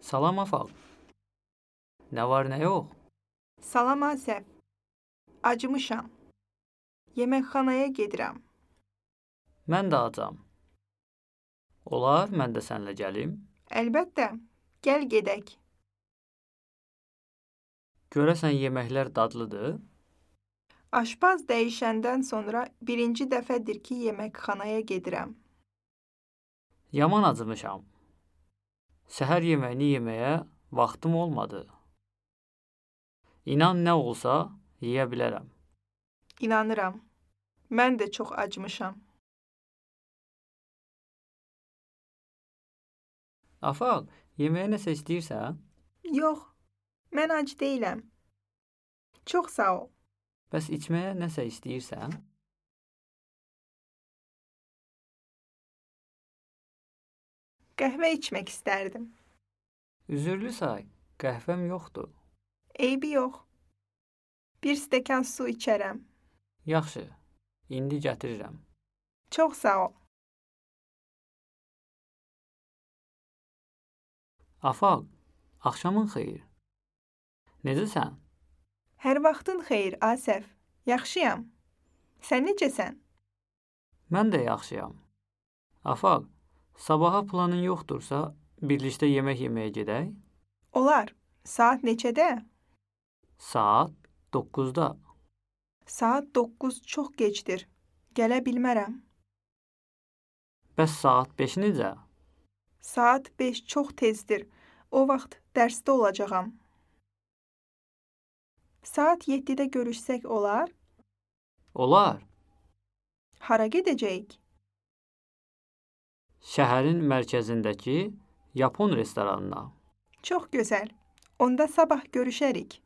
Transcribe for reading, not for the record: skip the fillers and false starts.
Salam Afaq. Nə var, nə yox? Salam Asəf. Acımışam. Yeməkxanaya gedirəm. Mən də acam. Olar, mən də səninlə gəlim. Əlbəttə, gəl gedək. Görəsən yeməklər dadlıdır? Aşpaz dəyişəndən sonra birinci dəfədir ki, yeməkxanaya gedirəm. Yaman acımışam. Səhər yeməyini yeməyə vaxtım olmadı. İnan nə olsa yeyə bilərəm. İnanıram. Mən də çox acımışam. Afaq, yeməyə nəsə istəyirsən? Yox, mən ac deyiləm. Çox sağ ol. Bəs içməyə nəsə istəyirsən? Qəhvə içmək istərdim. Üzürlü say, qəhvəm yoxdur. Eybi yox. Bir stəkan su içərəm. Yaxşı, indi gətirirəm. Çox sağ ol. Afaq, axşamın xeyir. Necəsən? Hər vaxtın xeyir, Asəf. Yaxşıyam. Sən necəsən? Mən də yaxşıyam. Afaq, sabaha planın yoxdursa, birlikdə yemək yeməyə gedək? Olar. Saat neçədə? Saat 9-da. Saat 9 çox gecdir. Gələ bilmərəm. Bəs saat 5 necə? Saat 5 çox tezdir. O vaxt dərsdə olacağam. Saat 7-də görüşsək olar? Olar. Hara gedəcəyik? Şəhərin mərkəzindəki Yapon restoranına. Çox gözəl. Onda sabah görüşərik.